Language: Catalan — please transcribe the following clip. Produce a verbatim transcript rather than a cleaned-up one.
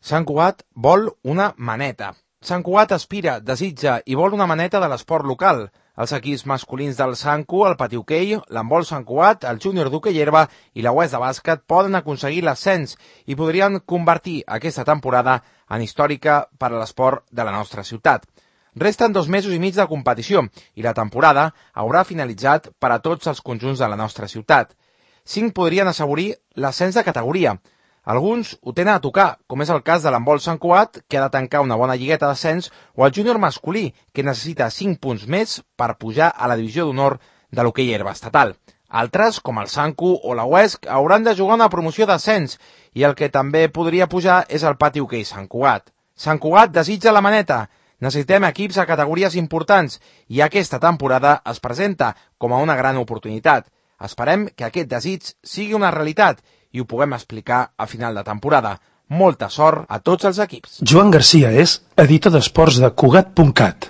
Sant Cugat vol una maneta. Sant Cugat aspira, desitja i vol una maneta de l'esport local. Els equips masculins del Sant Cu, el pati hoquei, l'handbol Sant Cugat, el júnior d'hoquei herba i la U E S de bàsquet poden aconseguir l'ascens i podrien convertir aquesta temporada en històrica per a l'esport de la nostra ciutat. Resten dos mesos i mig de competició i la temporada haurà finalitzat per a tots els conjunts de la nostra ciutat. Cinc podrien assegurir l'ascens de categoria. Alguns ho tenen a tocar, com és el cas de l'handbol Sant Cugat, que ha de tancar una bona lligueta d'ascens, o el júnior masculí, que necessita cinc punts més per pujar a la divisió d'honor de l'hoquei herba estatal. Altres, com el Sant Cu o la U E S, hauran de jugar una promoció d'ascens, i el que també podria pujar és el pati hoquei Sant Cugat. Sant Cugat desitja la maneta. Necessitem equips a categories importants, i aquesta temporada es presenta com a una gran oportunitat. Esperem que aquest desig sigui una realitat i ho puguem explicar a final de temporada. Molta sort a tots els equips. Joan Garcia és editor d'esports de Cugat punt cat.